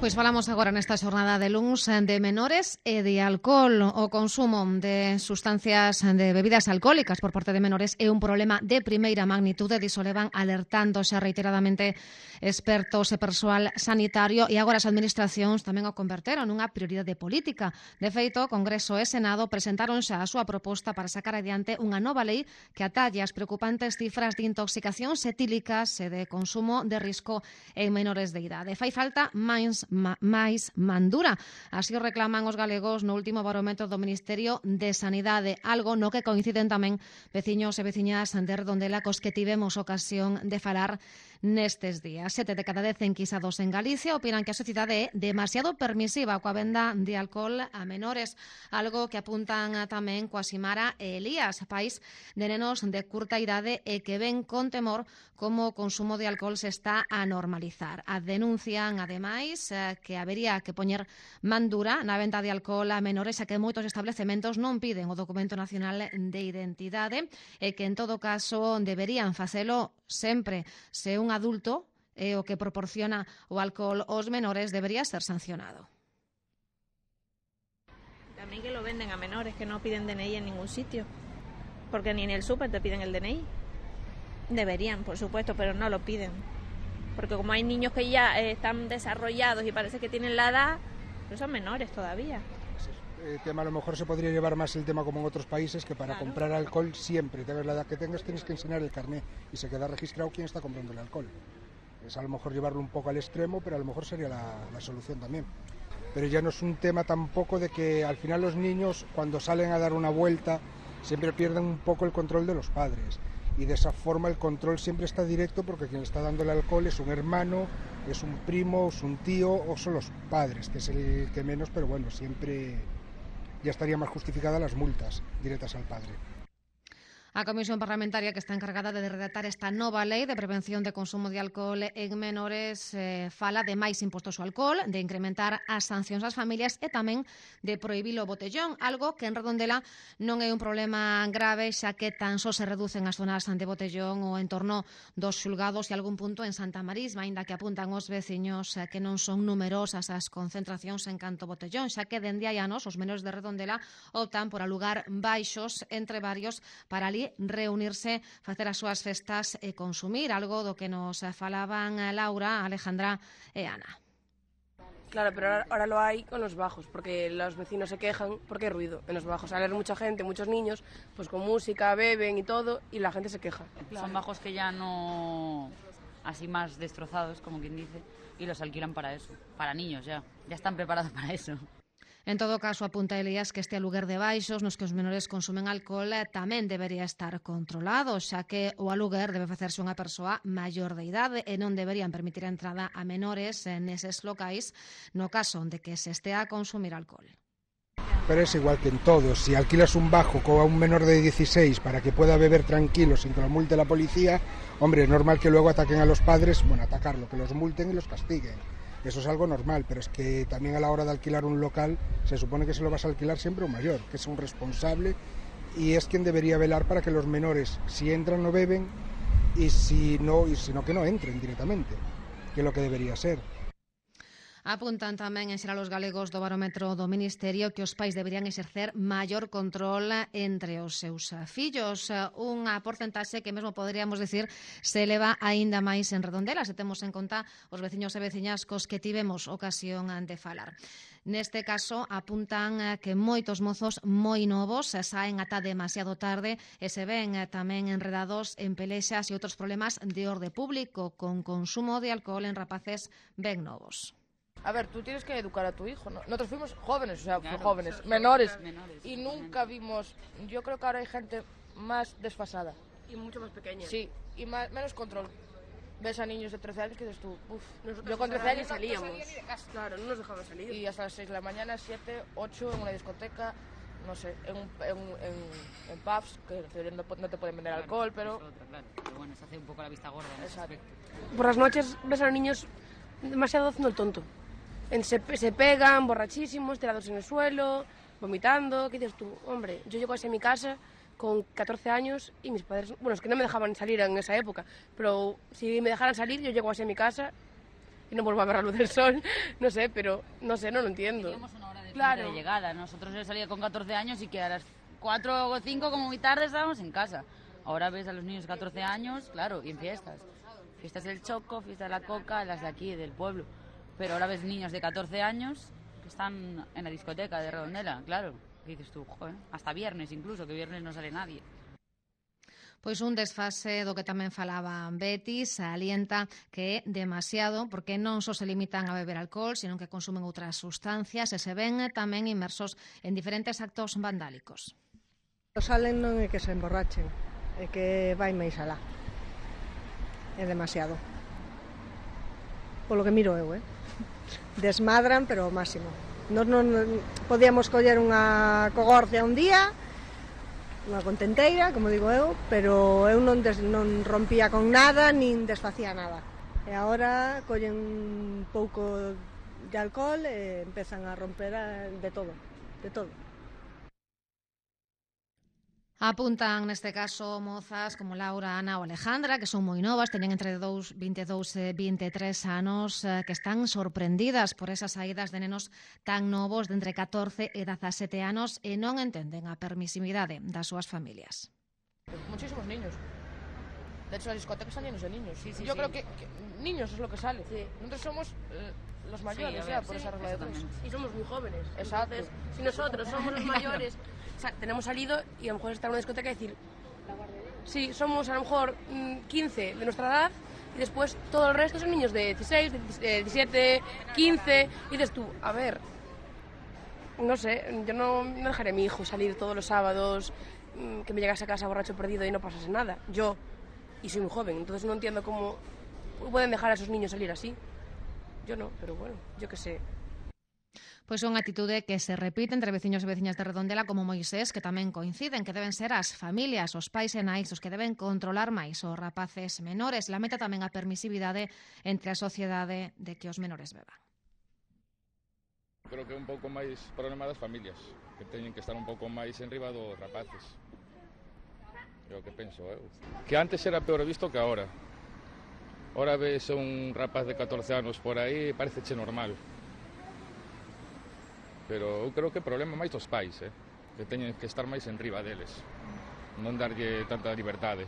Pois falamos agora nesta xornada de luns de menores e de alcohol. O consumo de sustancias de bebidas alcohólicas por parte de menores é un problema de primeira magnitude, diso levan alertando xa reiteradamente expertos e persoal sanitario, e agora as administracións tamén o converteron nunha prioridade política. De feito, o Congreso e Senado presentaron xa a súa proposta para sacar adiante unha nova lei que atalle as preocupantes cifras de intoxicacións etílicas e de consumo de risco en menores de idade. Fai falta máis mandura. Así o reclaman os galegos no último barómetro do Ministerio de Sanidade, algo no que coinciden tamén veciños e veciñas de Redondela cos que tivemos ocasión de falar nestes días. 7 de cada 10 enquisados en Galicia opinan que a sociedade é demasiado permisiva coa venda de alcohol a menores, algo que apuntan tamén Coaximara e Elías, pais de nenos de curta idade e que ven con temor como o consumo de alcohol se está a normalizar. Denuncian, ademais, que habería que poñer mandura na venta de alcohol a menores, xa que moitos establecementos non piden o documento nacional de identidade e que en todo caso deberían facelo sempre. Se un adulto é o que proporciona o alcohol aos menores, debería ser sancionado. También que lo venden a menores que no piden DNI en ningún sitio, porque ni en el súper te piden el DNI. Deberían, por supuesto, pero no lo piden. Porque como hay niños que ya están desarrollados y parece que tienen la edad, pero son menores todavía. El tema a lo mejor se podría llevar más el tema como en otros países, que para comprar alcohol siempre, tengas la edad que tengas, tienes que enseñar el carné y se queda registrado quién está comprando el alcohol. Es a lo mejor llevarlo un poco al extremo, pero a lo mejor sería la solución también. Pero ya no es un tema tampoco de que al final los niños cuando salen a dar una vuelta siempre pierden un poco el control de los padres. Y de esa forma el control siempre está directo porque quien está dando el alcohol es un hermano, es un primo, es un tío o son los padres, que es el que menos, pero bueno, siempre ya estaría más justificadas las multas directas al padre. A Comisión Parlamentaria que está encargada de redactar esta nova lei de prevención de consumo de alcohol en menores fala de máis impostos ao alcohol, de incrementar as sancións ás familias e tamén de prohibir o botellón, algo que en Redondela non é un problema grave, xa que tan só se reducen as zonas de botellón o en torno dos xulgados e algún punto en Santa Marisma, aínda que apuntan os veciños que non son numerosas as concentracións en canto botellón, xa que dende hai anos os menores de Redondela optan por alugar baixos entre varios para ali reunirse, facer as súas festas e consumir, algo do que nos falaban Laura, Alejandra e Ana. Claro, pero ahora lo hay con los bajos, porque los vecinos se quejan porque hay ruido en los bajos. Al haber mucha gente, muchos niños, pues con música, beben y todo, y la gente se queja. Claro. Son bajos que ya no, así más destrozados, como quien dice, y los alquilan para eso, para niños ya están preparados para eso. En todo caso, apunta Elías que este aluguer de baixos nos que os menores consumen alcohol tamén debería estar controlado, xa que o aluguer debe facerse unha persoa maior de idade e non deberían permitir a entrada a menores neses locais no caso de que se estea a consumir alcohol. Pero es igual que en todo, si alquilas un bajo con un menor de 16 para que pueda beber tranquilo sin que lo multe la policía, hombre, es normal que luego ataquen a los padres, bueno, atacarlo, que los multen y los castiguen. Eso es algo normal, pero es que también a la hora de alquilar un local se supone que se lo vas a alquilar siempre un mayor, que es un responsable y es quien debería velar para que los menores, si entran, no beben y si no que no entren directamente, que es lo que debería ser. Apuntan tamén en xeral os galegos do barómetro do Ministerio que os pais deberían exercer maior control entre os seus fillos, unha porcentaxe que mesmo poderíamos dicir se eleva aínda máis en Redondela, se temos en conta os veciños e veciñas cos que tivemos ocasión de falar. Neste caso, apuntan que moitos mozos moi novos saen ata demasiado tarde e se ven tamén enredados en pelexas e outros problemas de orde público con consumo de alcohol en rapaces ben novos. A ver, tú tienes que educar a tu hijo, ¿no? Nosotros fuimos jóvenes, o sea, claro, jóvenes, menores, y nunca vimos, yo creo que ahora hay gente más desfasada. Y mucho más pequeña. Sí, y menos control. Ves a niños de 13 años que dices tú, nosotros yo con 13 años salíamos. Claro, no nos dejaban salir. Y hasta las 6 de la mañana, 7, 8, en una discoteca, no sé, en pubs, que no te pueden vender alcohol, pero... Claro, pero bueno, se hace un poco la vista gorda en ese aspecto. Por las noches ves a los niños demasiado haciendo el tonto. Se pegan, borrachísimos, tirados en el suelo, vomitando. ¿Qué dices tú? Hombre, yo llego a mi casa con 14 años y mis padres... Bueno, es que no me dejaban salir en esa época, pero si me dejaran salir, yo llego a mi casa y no vuelvo a ver la luz del sol, no sé, pero no sé, no lo entiendo. Teníamos una hora Claro. de llegada, nosotros yo salía con 14 años y que a las 4 o 5 como muy tarde estábamos en casa. Ahora ves a los niños de 14 años, claro, y en fiestas. Fiestas del Choco, fiestas de la Coca, las de aquí, del pueblo. Pero ahora ves niños de 14 años que están en la discoteca de Redondela, claro. Y dices tú, joder, hasta viernes incluso, que viernes no sale nadie. Pois un desfase do que tamén falaba Betty, salienta que é demasiado porque non só se limitan a beber alcohol, sino que consumen outras sustancias e se ven tamén inmersos en diferentes actos vandálicos. Salen non é que se emborrachen, é que vai máis alá. É demasiado. Polo que miro eu, desmadran, pero ao máximo. Nos non podíamos coller unha cogorcia un día, unha contenteira, como digo eu, pero eu non rompía con nada, nin desfacía nada. E agora collen un pouco de alcohol e empezan a romper de todo, de todo. Apuntan neste caso mozas como Laura, Ana ou Alejandra, que son moi novas, teñen entre 22 e 23 anos, que están sorprendidas por esas saídas de nenos tan novos de entre 14 e 17 anos e non entenden a permisividade das súas familias. Muchísimos niños. De hecho, las discotecas están llenos de niños. Sí, Yo creo que niños es lo que sale. Sí. Nosotros somos los mayores ya, por esa regla de tres. Y somos muy jóvenes. Exacto. Entonces, si nosotros somos los mayores, o sea, tenemos salido y a lo mejor estar en una discoteca y decir, sí, somos a lo mejor 15 de nuestra edad y después todo el resto son niños de 16, de 17, 15 y dices tú, a ver, no sé, yo no dejaré a mi hijo salir todos los sábados, que me llegase a casa borracho perdido y no pasase nada. Yo, y soy muy joven, entonces no entiendo cómo pueden dejar a esos niños salir así. Yo no, pero bueno, yo qué sé. Pois é unha atitude que se repite entre veciños e veciñas de Redondela como Moisés, que tamén coinciden que deben ser as familias, os pais e nais os que deben controlar máis os rapaces menores. Lamenta tamén a permisividade entre a sociedade de que os menores beban. Creo que é un pouco máis problema das familias, que teñen que estar un pouco máis enriba dos rapaces. É o que penso eu. Que antes era peor visto que agora. Ahora ves un rapaz de 14 anos por aí e pareceche normal. Pero eu creo que o problema máis dos pais, que teñen que estar máis enriba deles, non darlle tanta liberdade.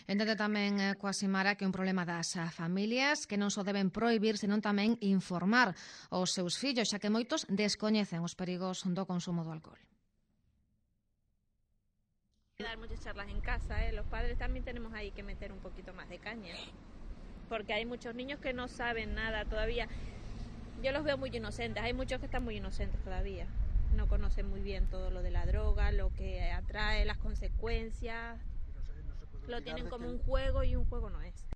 Entende tamén coa Simara que é un problema das familias que non só deben prohibir, senón tamén informar os seus fillos, xa que moitos descoñecen os perigos do consumo do alcohol. Dar muchas charlas en casa, los padres también tenemos ahí que meter un poquito más de caña, porque hay muchos niños que no saben nada todavía. Yo los veo muy inocentes, hay muchos que están muy inocentes todavía, no conocen muy bien todo lo de la droga, lo que atrae, las consecuencias, lo tienen como un juego y un juego no es.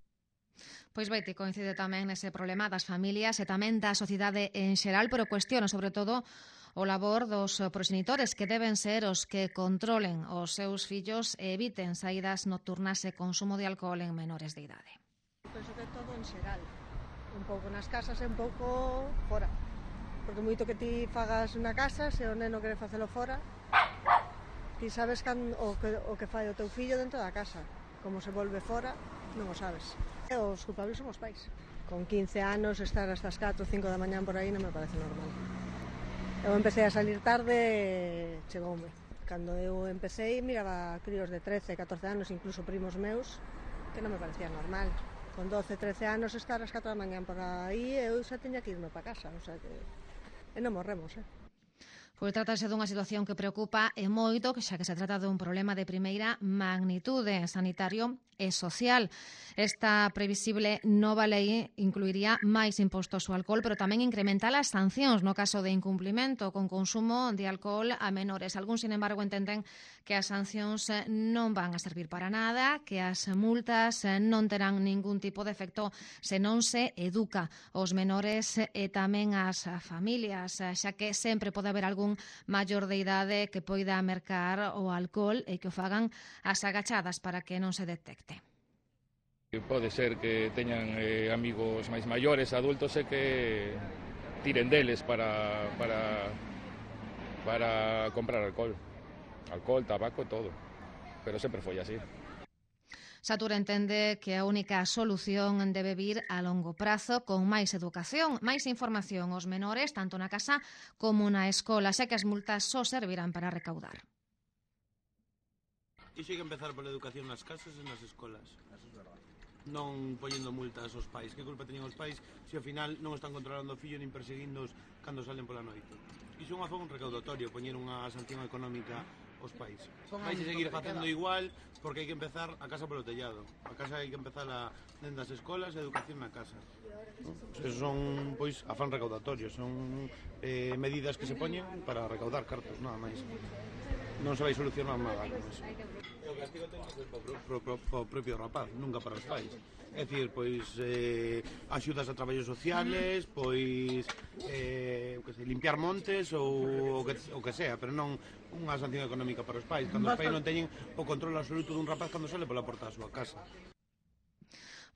Pois Betty coincide tamén nese problema das familias e tamén da sociedade en xeral, pero cuestiona sobre todo o labor dos proxenitores que deben ser os que controlen os seus fillos e eviten saídas nocturnas e consumo de alcohol en menores de idade. Penso que todo en xeral, un pouco nas casas e un pouco fora, porque moito que ti fagas na casa, se o neno quere facelo fora, ti sabes o que fai o teu fillo dentro da casa, como se volve fora, non o sabes. E os culpables son os pais. Con 15 anos estar hasta as 4 ou 5 da mañán por aí non me parece normal. Eu empecé a salir tarde, chegoume. Cando eu empecé miraba críos de 13, 14 anos, incluso primos meus, que non me parecía normal. Con 12, 13 anos estar ás 4 da mañán por aí, eu xa teña que irme para casa, o sea que... E non morremos, Pois trátase dunha situación que preocupa e moito, xa que se trata dun problema de primeira magnitude sanitario e social. Esta previsible nova lei incluiría máis impostos ao alcohol, pero tamén incrementar as sancións no caso de incumplimento con consumo de alcohol a menores. Algúns, sin embargo, entenden que as sancións non van a servir para nada, que as multas non terán ningún tipo de efecto se non se educa os menores e tamén as familias, xa que sempre pode haber algún maior de idade que poida mercar o alcohol e que o fagan as agachadas para que non se detecte. Pode ser que teñan amigos máis maiores, adultos, e que tiren deles para comprar alcohol. Alcohol, tabaco, todo. Pero sempre foi así. Satur entende que a única solución debe vir a longo prazo con máis educación, máis información aos menores, tanto na casa como na escola, xa que as multas só servirán para recaudar. Iso hai que empezar pola educación nas casas e nas escolas. Non poñendo multas aos pais. Que culpa teñen os pais se ao final non están controlando o fillo nin perseguindos cando salen pola noite? Iso é unha forma recaudatorio, poñer unha sanción económica aos pais. Vais a seguir facendo igual porque hai que empezar a casa polo tellado. A casa hai que empezar dentro das escolas e a educación na casa. Esos son, pois, afán recaudatorio, son medidas que se poñen para recaudar cartos, nada máis. Non se vai solucionar nada con eso. O castigo ten que ser para o propio rapaz, nunca para os pais. É dicir, pois, axudas a traballos sociales, pois, limpiar montes ou o que sea, pero non unha sanción económica para os pais, cando os pais non teñen o control absoluto dun rapaz cando sale pola porta da súa casa.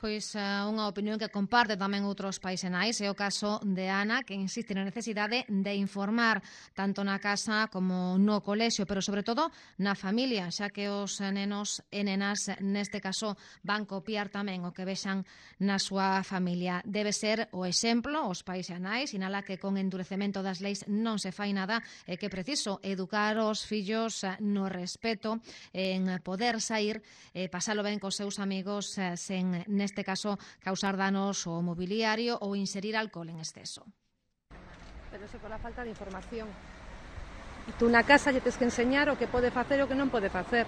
Pois unha opinión que comparte tamén outros pais e nais é o caso de Ana, que insiste na necesidade de informar tanto na casa como no colexio, pero sobre todo na familia, xa que os nenos e nenas neste caso van copiar tamén o que vexan na súa familia. Debe ser o exemplo, os pais e nais, sinala que con endurecemento das leis non se fai nada e que é preciso educar os fillos no respeto, en poder sair e pasalo ben cos seus amigos sen neste caso causar danos ao mobiliario ou inserir alcohol en exceso. Pero eso por la falta de información. Tú na casa lle tens que enseñar o que pode facer e o que non pode facer.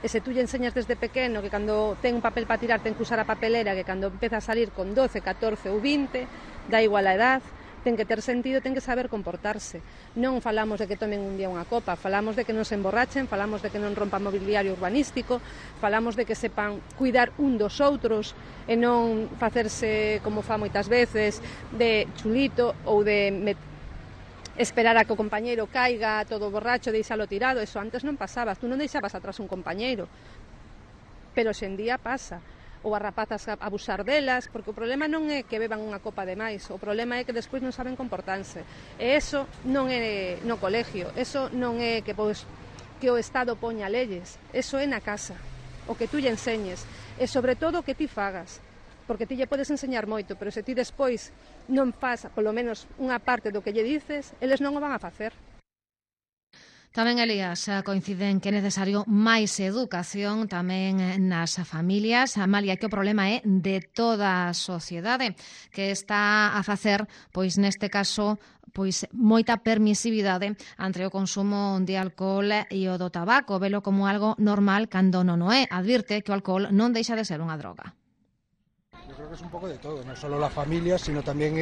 E se tú lle enseñas desde pequeno que cando ten un papel para tirar ten que usar a papelera, que cando empeza a salir con 12, 14 ou 20, dá igual a edad, ten que ter sentido, ten que saber comportarse. Non falamos de que tomen un día unha copa, falamos de que non se emborrachen, falamos de que non rompan mobiliario urbanístico, falamos de que sepan cuidar un dos outros e non facerse, como fa moitas veces, de chulito ou de esperar a que o compañeiro caiga todo borracho, deixalo tirado. Eso antes non pasaba, tú non deixabas atrás un compañeiro, pero hoxendía pasa. Ou as rapazas abusar delas, porque o problema non é que beban unha copa de máis, o problema é que despois non saben comportarse. E eso non é no colegio, eso non é que o Estado poña leyes, eso é na casa, o que tú lle enseñes, e sobre todo o que ti fagas, porque ti lle podes enseñar moito, pero se ti despois non faz, polo menos unha parte do que lle dices, eles non o van a facer. Tamén, Elías, coinciden que é necesario máis educación tamén nas familias. Amalia, que o problema é de toda a sociedade que está a facer, pois neste caso, pois moita permisividade entre o consumo de alcohol e o do tabaco, velo como algo normal cando non o é. Advirte que o alcohol non deixa de ser unha droga. Yo creo que es un poco de todo, no solo la familia, sino también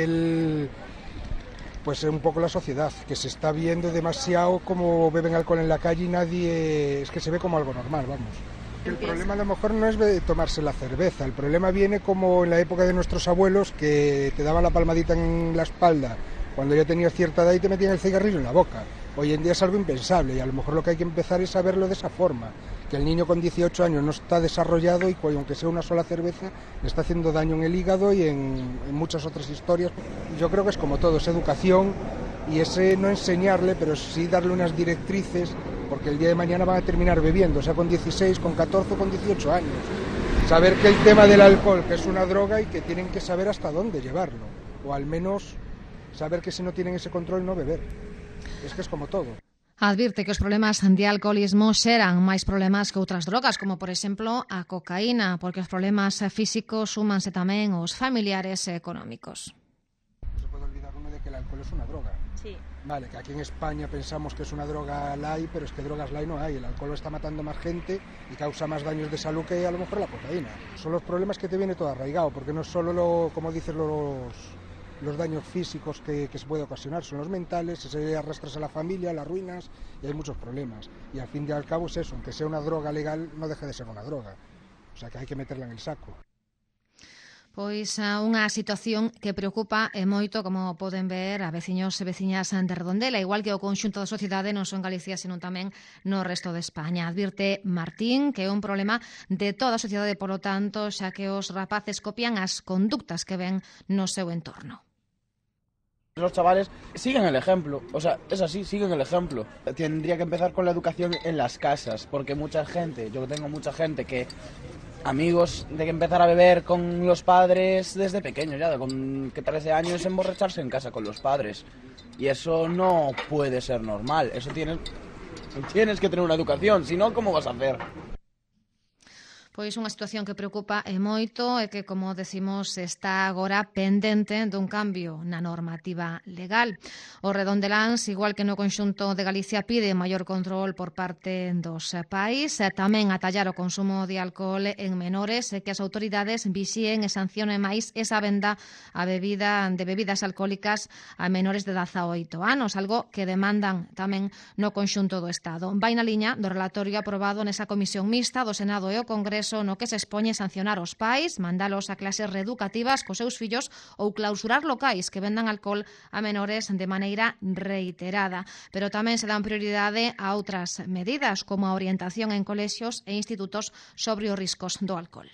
pues un poco la sociedad, que se está viendo demasiado como beben alcohol en la calle y nadie, es que se ve como algo normal, vamos. El problema a lo mejor no es de tomarse la cerveza, el problema viene como en la época de nuestros abuelos que te daban la palmadita en la espalda cuando ya tenías cierta edad y te metían el cigarrillo en la boca. Hoy en día es algo impensable y a lo mejor lo que hay que empezar es a verlo de esa forma, que el niño con 18 años no está desarrollado y aunque sea una sola cerveza le está haciendo daño en el hígado y en muchas otras historias. Yo creo que es como todo, es educación y ese no enseñarle, pero sí darle unas directrices, porque el día de mañana van a terminar bebiendo, o sea con 16, con 14 o con 18 años. Saber que el tema del alcohol, que es una droga y que tienen que saber hasta dónde llevarlo, o al menos saber que si no tienen ese control no beber. Es que es como todo. Advirte que os problemas de alcoholismo xeran máis problemas que outras drogas, como por exemplo a cocaína, porque os problemas físicos súmanse tamén aos familiares e económicos. No se puede olvidar uno de que el alcohol es una droga. Sí. Vale, que aquí en España pensamos que es una droga light, pero es que drogas light no hay. El alcohol está matando más gente y causa más daños de salud que a lo mejor la cocaína. Son los problemas que te viene todo arraigado, porque no es solo como dices los daños físicos que se puede ocasionar, son los mentales, se arrastras a la familia, las ruinas y hay muchos problemas. Y al fin y al cabo es eso, aunque sea una droga legal, no deja de ser una droga. O sea que hay que meterla en el saco. Pois unha situación que preocupa e moito, como poden ver, a veciños e veciñas de Redondela, igual que o conxunto da sociedade non só en Galicia, senón tamén no resto de España. Advirte Martín que é un problema de toda a sociedade, polo tanto, xa que os rapaces copian as conductas que ven no seu entorno. Los chavales siguen el ejemplo, o sea, es así, siguen el ejemplo. Tendría que empezar con la educación en las casas, porque mucha gente, yo tengo mucha gente que amigos de que empezar a beber con los padres desde pequeños, ya con 13 años emborracharse en casa con los padres. Y eso no puede ser normal, eso tienes que tener una educación, si no, ¿cómo vas a hacer? Pois unha situación que preocupa e moito e que, como decimos, está agora pendente dun cambio na normativa legal. O Redondeláns, igual que no conxunto de Galicia, pide maior control por parte dos pais, tamén atallar o consumo de alcohol en menores e que as autoridades vixíen e sancionen máis esa venda de bebidas alcohólicas a menores de 18 anos, algo que demandan tamén no conxunto do Estado. Vai na liña do relatorio aprobado nesa comisión mixta do Senado e o Congreso no que se expoñe sancionar os pais, mandalos a clases reeducativas cos seus fillos ou clausurar locais que vendan alcohol a menores de maneira reiterada. Pero tamén se dan prioridade a outras medidas, como a orientación en colexios e institutos sobre os riscos do alcohol.